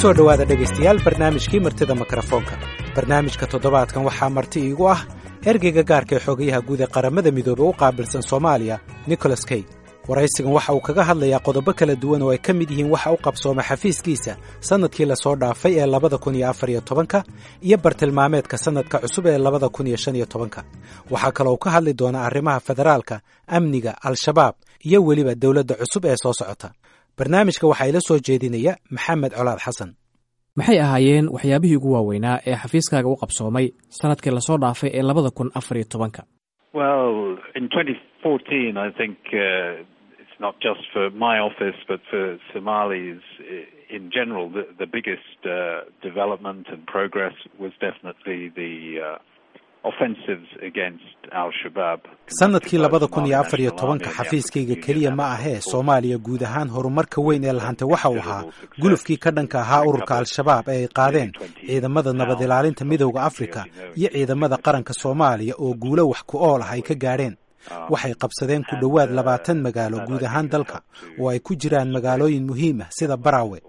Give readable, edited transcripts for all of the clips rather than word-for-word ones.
Soo dhowaada, dhegaystayaal, barnaamijkii Martida Mikrofoonka. Barnaamijka toddobaadkan waxaa marti iigu ah ergeyga gaarka ee xogayaha guud ee Qaramada Midoobey u qaabilsan Soomaaliya, Nicholas Kay. Waraysigan waxa uu kaga hadlayaa qodobo kala duwan oo ay ka mid yihiin waxa u qabsooma xafiiskiisa sannadkii lasoo dhaafay ee 2014-ka iyo bartilmaameedka sannadka cusub ee 2015-ka. Waxaa kaloo ka hadli doonaa arrimaha federaalka, amniga, Al-Shabaab iyo weliba dowladda cusub ee soo socota. Barnaamijka waxaa ila soo jeedinaya Maxamed Colaad Xasan. Maxay ahaayeen waxyaabihii ugu waaweynaa ee xafiiskaaga u qabsoomay sanadkii lasoo dhaafay ee 2014-ka? Well, in 2014, I think it's not just for my office, but for Somalis in general, the biggest development and progress was definitely the offensives against Al-Shabaab. Sanadkii 2014-ka, xafiiskayga keliya ma ahee, Soomaaliya guud ahaan, horumarka weyn ee lahantay waxa uu ahaa gulufkii ka dhanka ahaa ururka Al-Shabaab ee ay qaadeen ciidamada nabad ilaalinta Midowda Afrika iyo ciidamada qaranka Soomaaliya, oo guulo wax ku ool ah ay ka gaadheen. Waxay qabsadeen ku dhowaad 20 magaalo guud ahaan dalka, oo ay ku jiraan magaalooyin muhiim ah sida Baraawe.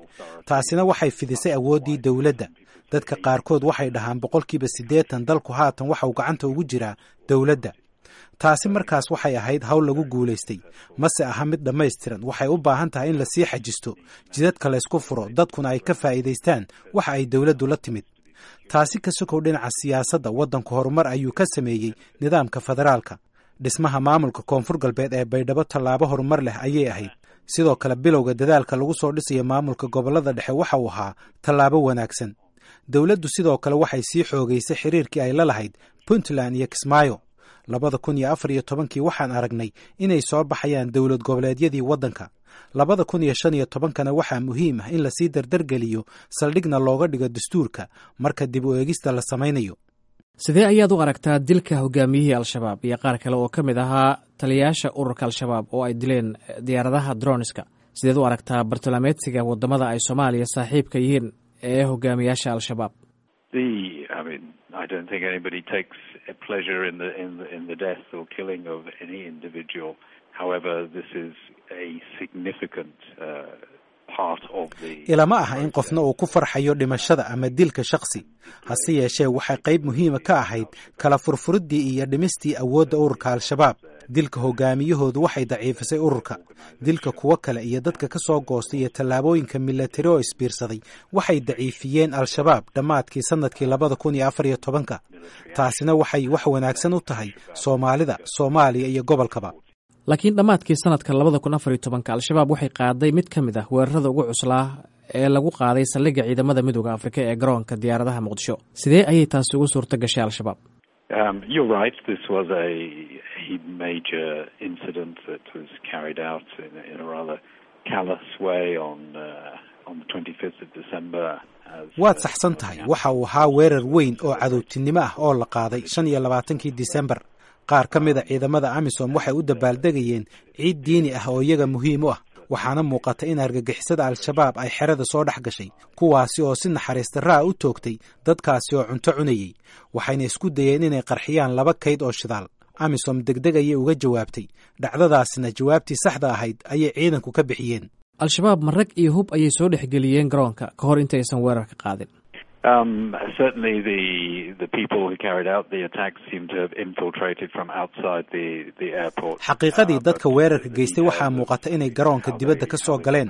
Taasina waxay fidisay awooddii dowladda. Dadka qaarkood waxay dhahaan 80% dalku haatan waxa uu gacanta ugu jiraa dowladda. Taasi markaas waxay ahayd hawl lagu guulaystay, mase aha mid dhammaystiran. Waxay u baahan tahay in lasii xajisto, jidadka laysku furo, dadkuna ay ka faa'iidaystaan waxa ay dowladdu la timid. Taasi ka sokow, dhinaca siyaasadda waddanku horumar ayuu ka sameeyey nidaamka federaalka. Dhismaha maamulka Koonfur Galbeed ee Baydhabo tallaabo horumar leh ayay ahayd. Sidoo kale, bilowga dadaalka lagu soo dhisayo maamulka gobollada dhexe waxa uu ahaa tallaabo wanaagsan. Dowladdu sidoo kale waxay sii xoogaysay xiriirkii ay la lahayd Puntland iyo Kismaayo. 2014-kii waxaan aragnay inay soo baxayaan dowlad goboleedyadii waddanka. 2015-kana waxaa muhiim ah in lasii dardargeliyo, saldhigna looga dhigo dastuurka marka dib u eegista la samaynayo. Sidee ayaad u aragtaa dilka hogaamiyihii Al-Shabaab iyo qaar kale oo ka mid ahaa taliyayaasha ururka Al-Shabaab oo ay dileen diyaaradaha droniska? Sideed u aragtaa bartilmaameedsiga wadamada ay Soomaaliya saaxiibka yihiin ee hogaamiyaasha Al-Shabaab? I mean, I don't think anybody takes a pleasure in the death or killing of any individual. However, this is a significant part of the. Ilama aha in qofna uu ku farxayo dhimashada ama dilka shakhsi. Hase yeeshee, waxay qayb muhiima ka ahayd kala furfuriddii iyo dhimistii awoodda ururka Al-Shabaab. Dilka hogaamiyahoodu waxay daciifisay ururka. Dilka kuwo kale iyo dadka ka soo goostay iyo tallaabooyinka milatari oo isbiirsaday waxay daciifiyeen Al-Shabaab dhammaadkii sannadkii 2014-ka. Taasina waxay wax wanaagsan u tahay Soomaalida, Soomaaliya iyo gobolkaba. Laakiin dhammaadkii sanadka 2014-ka, Al-Shabaab waxay qaaday mid ka mid ah weerarada ugu cuslaa ee lagu qaaday saldhigga ciidamada Midowda Afrika ee garoonka diyaaradaha Muqdisho. Sidee ayay taasi ugu suurta gashay Al-Shabaab? You're right. This was a major incident that was carried out in a rather callous way on the 25th of December. Waad saxsan tahay. Waxa uu ahaa weerar weyn oo cadowtinimo ah oo la qaaday 25-kii Disembar. Qaar ka mid a ciidamada AMISOM waxay u dabaaldegayeen ciid diini ah oo iyaga muhiim u ah, waxaana muuqata in argagixisada Al-Shabaab ay xerada soo dhex gashay, kuwaasi oo si naxariis darraa u toogtay dadkaasi oo cunto cunayey, waxayna isku dayeen inay qarxiyaan laba kayd oo shidaal. AMISOM degdeg ayay uga jawaabtay dhacdadaasna. Jawaabtii saxda ahayd ayay ciidanku ka bixiyeen. Al-Shabaab ma rag iyo hub ayay soo dhexgeliyeen garoonka ka hor intaysan weerarka qaadin? Certainly, the people who carried out the attack seem to have infiltrated from outside the airport. Xaqiiqadii, dadka weerarka geystay waxaa muuqata inay garoonka dibadda ka soo galeen,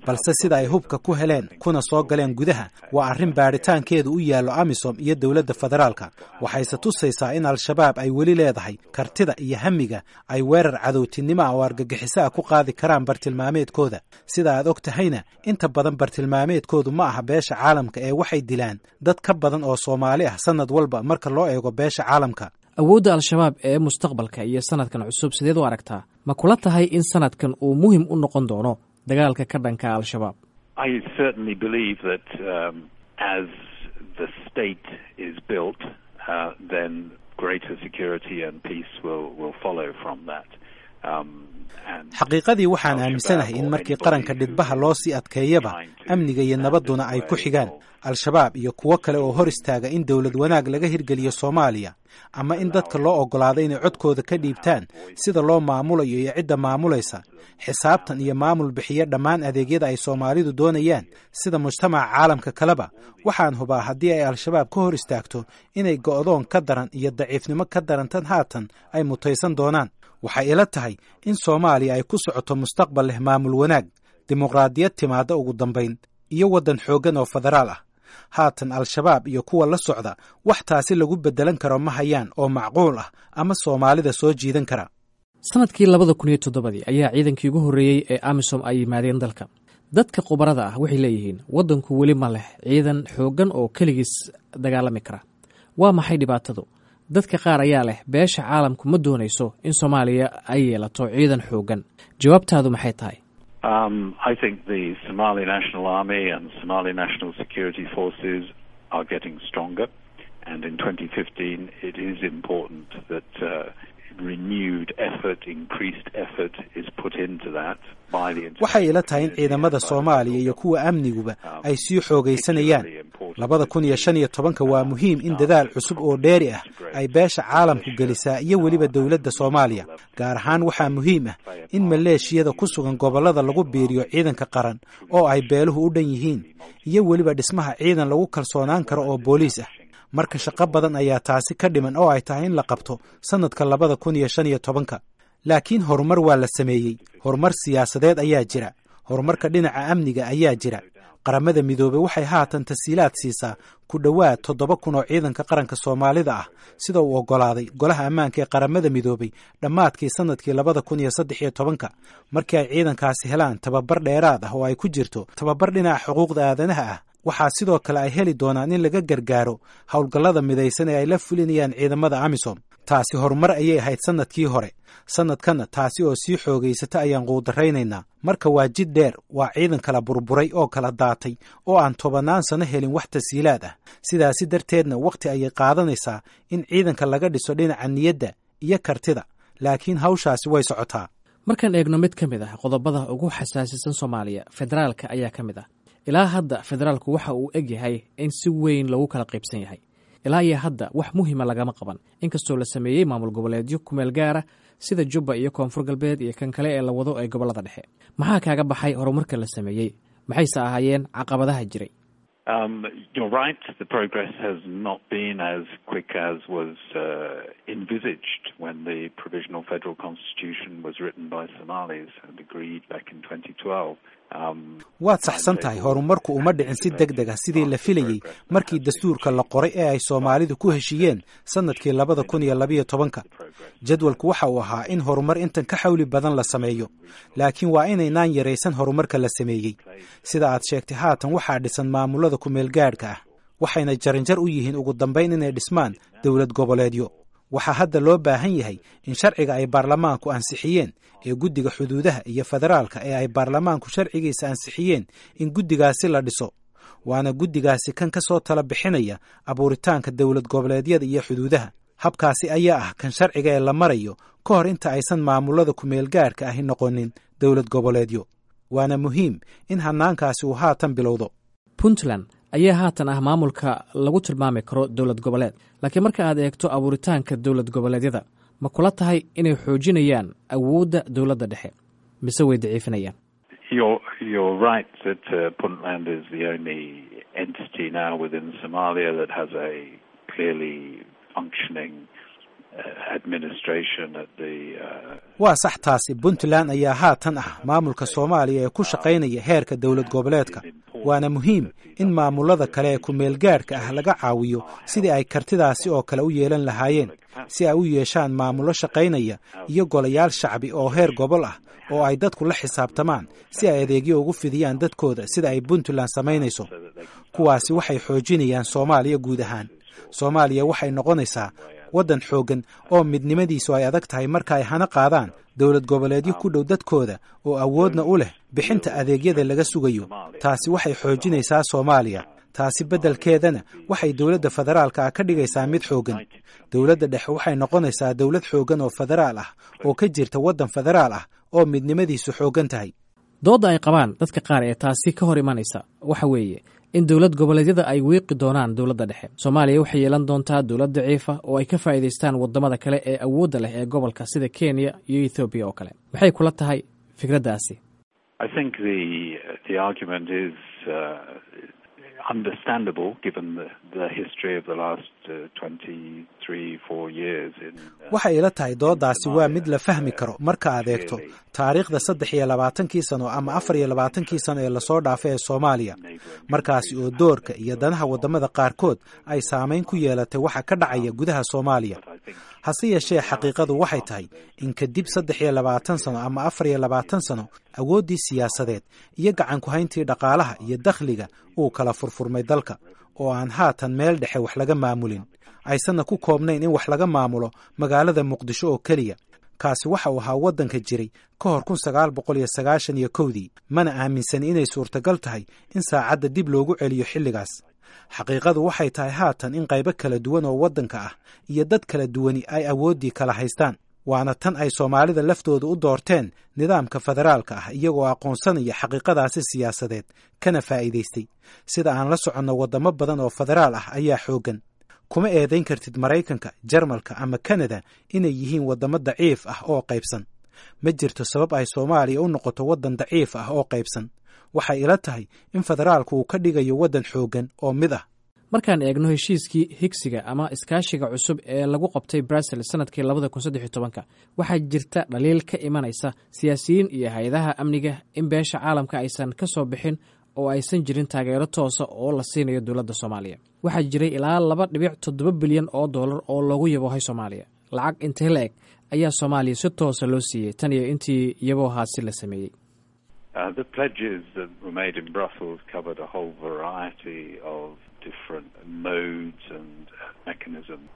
balse sida ay hubka ku heleen kuna soo galeen gudaha waa arrin baadhitaankeedu u yaallo AMISOM iyo dowladda federaalka. Waxayse tusaysaa in Al-Shabaab ay weli leedahay kartida iyo hamiga ay weerar cadowtinimo ah oo argagixiso ah ku qaadi karaan bartilmaameedkooda. Sida aad og tahayna, inta badan bartilmaameedkoodu ma aha beesha caalamka ee waxay dilaan dad ka badan oo Soomaali ah sanad walba marka loo eego beesha caalamka. Awoodda Al-Shabaab ee mustaqbalka iyo sanadkan cusub sideed u aragtaa? Ma kula tahay in sanadkan uu muhim u noqon doono dagaalka ka dhanka Al-Shabaab? I certainly believe that as the state is built, then greater security and peace will follow from that. Xaqiiqadii waxaan aaminsanahay in markii qaranka dhidbaha loo sii adkeeyaba, amniga iyo nabadduna ay ku xigaan. Al-Shabaab iyo kuwo kale oo hor istaaga in dowlad wanaag laga hirgeliyo Soomaaliya ama in dadka loo oggolaado inay codkooda ka dhiibtaan sida loo maamulayo iyo cidda maamulaysa, xisaabtan iyo maamul bixiya dhammaan adeegyada ay Soomaalidu doonayaan sida mujtamaca caalamka kaleba, waxaan hubaa haddii ay Al-Shabaab ka hor istaagto inay go'doon ka daran iyo daciifnimo ka daran tan haatan ay mutaysan doonaan. Waxay ila tahay in Soomaaliya ay ku socoto mustaqbal leh maamul wanaag, dimuqraadiyad timaadda ugu dambayn, iyo waddan xooggan oo federaal ah. Haatan Al-Shabaab iyo kuwa la socda wax taasi lagu beddelan karo ma hayaan oo macquul ah ama Soomaalida soo jiidan kara. Sanadkii 2007-dii ayaa ciidankii ugu horreeyey ee AMISOM ay yimaadeen dalka. Dadka khubarada ah waxay leeyihiin waddanku weli ma leh ciidan xooggan oo keligiis dagaalami kara. Waa maxay dhibaatadu? Dadka qaar ayaa leh beesha caalamku ma doonayso in Soomaaliya ay yeelato ciidan xooggan. Jawaabtaadu maxay tahay? I think the Somali National Army and Somali National Security Forces are getting stronger, and in 2015 it is important that renewed effort, increased effort is put into that by the Waxay ila tahay in ciidamada Soomaaliya iyo kuwa amniguba ay sii xoogaysanayaan. 2015-ka waa muhiim in dadaal cusub oo dheeri ah ay beesha caalamku gelisaa iyo weliba dowladda Soomaaliya. Gaar ahaan waxaa muhiim ah in maleeshiyada ku sugan gobollada lagu biiriyo ciidanka qaran oo ay beeluhu u dhan yihiin, iyo weliba dhismaha ciidan lagu kalsoonaan karo oo booliis ah. Marka shaqo badan ayaa taasi ka dhiman oo ay tahay in la qabto sannadka 2015-ka. Laakiin horumar waa la sameeyey. Horumar siyaasadeed ayaa jira. Horumarka dhinaca amniga ayaa jira. Qaramada Midoobey waxay haatan tasiilaad siisaa ku dhowaad 7000 oo ciidanka qaranka Soomaalida ah, sida uu oggolaaday Golaha Ammaanka ee Qaramada Midoobey dhammaadkii sannadkii 2013-ka. Markii ay ciidankaasi helaan tababar dheeraad ah oo ay ku jirto tababar dhinaca xuquuqda aadanaha ah, waxaa sidoo kale ay heli doonaan in laga gargaaro howlgallada midaysan ee ay la fulinayaan ciidamada AMISOM. Taasi horumar ayay ahayd sannadkii hore. Sannadkanna taasi oo sii xoogaysata ayaan quudaraynaynaa. Marka waa jid dheer, waa ciidan kala burburay oo kala daatay oo aan tobannaan sano helin wax tasiilaad ah. Sidaasi darteedna wakhti ayay qaadanaysaa in ciidanka laga dhiso dhinaca niyadda iyo kartida, laakiin hawshaasi way socotaa. Markaan eegno mid ka mid ah qodobada ugu xasaasisan Soomaaliya, federaalka ayaa ka mid ah. Ilaa hadda federaalku waxa uu eg yahay in si weyn loogu kala qaybsan yahay. Ilaa iyo hadda wax muhima lagama qaban, inkastoo la sameeyey maamul goboleedyo kumeel gaara sida Jubba iyo Koonfur Galbeed iyo kan kale ee la wado ee gobollada dhexe. Maxaa kaaga baxay horumarka la sameeyey? Maxayse ahaayeen caqabadaha jiray? You're right. The progress has not been as quick as was envisaged when the Provisional Federal Constitution was written by Somalis and agreed back in 2012. Waad saxsan tahay. Horumarku uma dhicin si deg deg ah sidii la filayey markii dastuurka la qoray ee ay Soomaalidu ku heshiiyeen sannadkii 2012-ka. Jadwalku waxa uu ahaa in horumar intan ka xawli badan la sameeyo, laakiin waa inaynaan yaraysan horumarka la sameeyey. Sida aad sheegtay, haatan waxaa dhisan maamulada kumeelgaadhka ah, waxayna jaranjar u yihiin ugu dambayn inay dhismaan dowlad goboleedyo. Waxaa hadda loo baahan yahay in sharciga ay baarlamaanku ansixiyeen ee guddiga xuduudaha iyo federaalka ee ay baarlamaanku sharcigiisa ansixiyeen in guddigaasi la dhiso. Waana guddigaasi kan ka soo tala bixinaya abuuritaanka dowlad goboleedyada iyo xuduudaha. Habkaasi ayaa ah kan sharciga ee la marayo ka hor inta aysan maamulada kumeelgaadhka ahi noqonin dowlad goboleedyo. Waana muhiim in hannaankaasi uu haatan bilowdo. Puntland ayaa haatan ah maamulka lagu tilmaami karo dowlad goboleed, laakiin marka aad eegto abuuritaanka dowlad goboleedyada, ma kula tahay inay xoojinayaan awoodda dowladda dhexe mise way daciifinayaan? You're right that Puntland is the only entity now within Somalia that has a clearly functioning administration at the. Waa sax taasi. Puntland ayaa haatan ah maamulka Soomaaliya ee ku shaqaynaya heerka dowlad goboleedka. Waana muhiim in maamulada kale ee kumeelgaadhka ah laga caawiyo sidii ay kartidaasi oo kale u yeelan lahaayeen, si ay u yeeshaan maamullo shaqaynaya iyo golayaal shacbi oo heer gobol ah oo ay dadku la xisaabtamaan, si ay adeegyo ugu fidiyaan dadkooda sida ay Puntland samaynayso. Kuwaasi waxay xoojinayaan Soomaaliya guud ahaan. Soomaaliya waxay noqonaysaa waddan xooggan oo midnimadiisu ay adag tahay marka ay hana qaadaan dowlad goboleedyo ku dhow dadkooda oo awoodna u leh bixinta adeegyada laga sugayo. Taasi waxay xoojinaysaa Soomaaliya. Taasi beddelkeedana waxay dowladda federaalka ah ka dhigaysaa mid xooggan. Dowladda dhexe waxay noqonaysaa dowlad xooggan oo federaal ah oo ka jirta waddan federaal ah oo midnimadiisu xooggan tahay. Doodda ay qabaan dadka qaar ee taasi ka hor imanaysa waxa weeye in dowlad goboleedyada ay wiiqi doonaan dowladda dhexe. Soomaaliya waxay yeelan doontaa dowlad daciifa oo ay ka faa'iidaystaan waddamada kale ee awoodda leh ee gobolka sida Kenya iyo Ethoobiya oo kale. Maxay kula tahay fikraddaasi? I think the argument is understandable given the history of the last 23, 4 years in Waxay ila tahay doodaasi waa mid la fahmi karo marka aad eegto taariikhda 23-kii sano ama 24-kii sano ee lasoo dhaafay ee Soomaaliya, markaasi oo doorka iyo danaha waddamada qaarkood ay saamayn ku yeelatay waxa ka dhacaya gudaha Soomaaliya. Hase yeeshee, xaqiiqadu waxay tahay in kadib 23 sano ama 24 sano awooddii siyaasadeed iyo gacan ku-hayntii dhaqaalaha iyo dakhliga uu kala furfurmay dalka, oo aan haatan meel dhexe wax laga maamulin, aysanna ku koobnayn in wax laga maamulo magaalada Muqdisho oo keliya. Kaasi waxa uu ahaa waddanka jiray ka hor 1991-dii. Mana aaminsan inay suurtagal tahay in saacadda dib loogu celiyo xilligaas. Xaqiiqadu waxay tahay haatan in qaybo kala duwan oo waddanka ah iyo dad kala duwani ay awooddii kala haystaan, waana tan ay Soomaalida laftooda u doorteen nidaamka federaalka ah, iyagoo aqoonsanaya xaqiiqadaasi siyaasadeed kana faa'iidaystay. Sida aan la soconno, waddamo badan oo federaal ah ayaa xooggan. Kuma eedayn kartid Maraykanka, Jarmalka ama Kanada inay yihiin waddamo daciif ah oo qaybsan. Ma jirto sabab ay Soomaaliya u noqoto waddan daciif ah oo qaybsan. Waxay ila tahay in federaalku uu ka dhigayo waddan xooggan oo mid ah. Markaan eegno heshiiskii higsiga ama iskaashiga cusub ee lagu qabtay Brussels sanadkii 2013-ka, waxaa jirta dhaliil ka imanaysa siyaasiyiin iyo hay-adaha amniga in beesha caalamka aysan ka soo bixin oo aysan jirin taageero toosa oo la siinayo dowladda Soomaaliya. Waxaa jiray ilaa 2.7 bilyan oo dollar oo loogu yaboohay Soomaaliya. Lacag intee la eg ayaa Soomaaliya si toosa loo siiyey tan iyo intii yaboohaasi la sameeyey? The pledges that were made in Brussels covered a whole variety of different modes and mechanisms.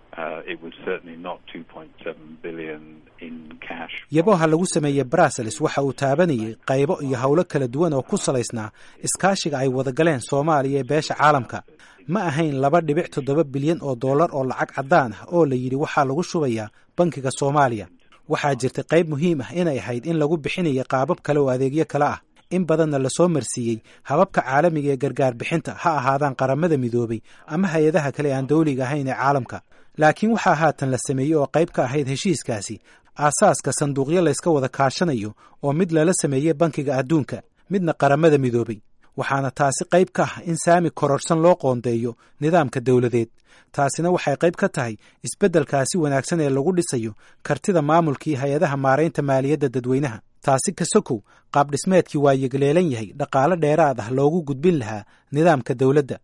It was certainly not 2.7 billion in cash. Yabooha lagu sameeyey Brussels waxa uu taabanayay qaybo iyo howlo kala duwan oo ku salaysnaa iskaashiga ay wada galeen Soomaaliya ee beesha caalamka. Ma ahayn 2.7 bilyan oo dollar oo lacag caddaan ah oo la yidhi waxaa lagu shubayaa bankiga Soomaaliya. Waxaa jirtay qayb muhiim ah inay ahayd in lagu bixinayo qaabab kale oo adeegyo kale ah, in badanna lasoo marsiiyey hababka caalamiga ee gargaar bixinta, ha ahaadaan Qaramada Midoobay ama hay-adaha kale aan dowliga ahayn ee caalamka. Laakiin waxaa haatan la sameeyey oo qayb ka ahayd heshiiskaasi aasaaska sanduuqyo layska wada kaashanayo, oo mid lala sameeyey Bankiga Adduunka, midna Qaramada Midoobay. Waxaana taasi qayb ka ah in saami kororsan loo qoondeeyo nidaamka dowladeed. Taasina waxay qayb ka tahay isbeddelkaasi wanaagsan ee lagu dhisayo kartida maamulkii hay-adaha maaraynta maaliyadda dadweynaha. Taasi ka sokow, qaabdhismeedkii waa yegleelan yahay dhaqaale dheeraad ah loogu gudbin lahaa nidaamka dowladda.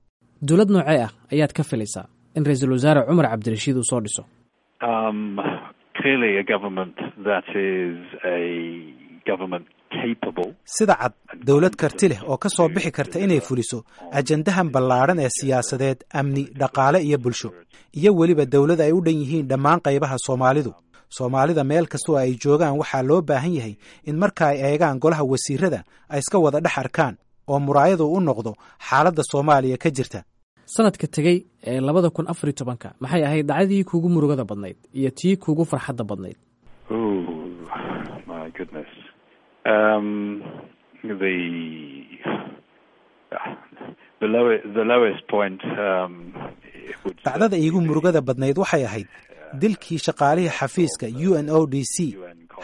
Dowlad noocee ah ayaad ka filaysaa in Ra-iisul Wasaare Cumar Cabdirashiid uu soo dhiso? Clearly a government that is a government capable. Sida cad, dowlad karti leh oo ka soo bixi karta inay fuliso ajandahan ballaadhan ee siyaasadeed, amni, dhaqaale iyo bulsho, iyo weliba dowlad ay u dhan yihiin dhammaan qaybaha Soomaalidu. Soomaalida meel kastoo ay joogaan waxaa loo baahan yahay in marka ay eegaan golaha wasiirada ay iska wada dhex arkaan oo muraayadu u noqdo xaaladda Soomaaliya ka jirta. Sanadka tegey ee 2014-ka, maxay ahayd dhacdadii kuugu murugada badnayd iyo tii kuugu farxadda badnayd? Oh, my goodness. The lowest point it would Dhacdada iigu murugada badnayd waxay ahayd dilkii shaqaalihii xafiiska UNODC,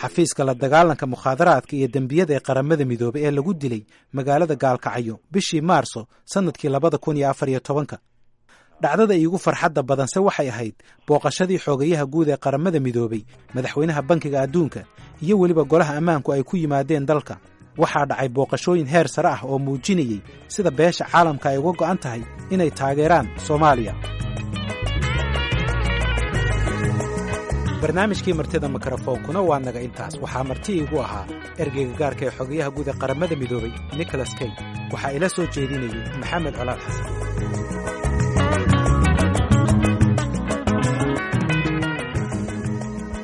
xafiiska la dagaalanka mukhaadaraadka iyo dembiyada ee Qaramada Midoobay, ee lagu dilay magaalada Gaalkacyo bishii Maarso sannadkii 2014-ka. Dhacdada iigu farxadda badanse waxay ahayd booqashadii xoogayaha guud ee Qaramada Midoobay, madaxweynaha Bankiga Adduunka iyo weliba Golaha Ammaanku ay ku yimaadeen dalka. Waxaa dhacay booqashooyin heer sare ah oo muujinayey sida beesha caalamka ay uga go'an tahay inay taageeraan Soomaaliya. Barnaamijkii Martida Mikrofoonkuna waa naga intaas. Waxaa marti iigu ahaa ergeyga gaarka ee xogayaha guud ee Qaramada Midoobay, Nicholas Kay. Waxaa ila soo jeedinayey Maxamed Colaad Xasan.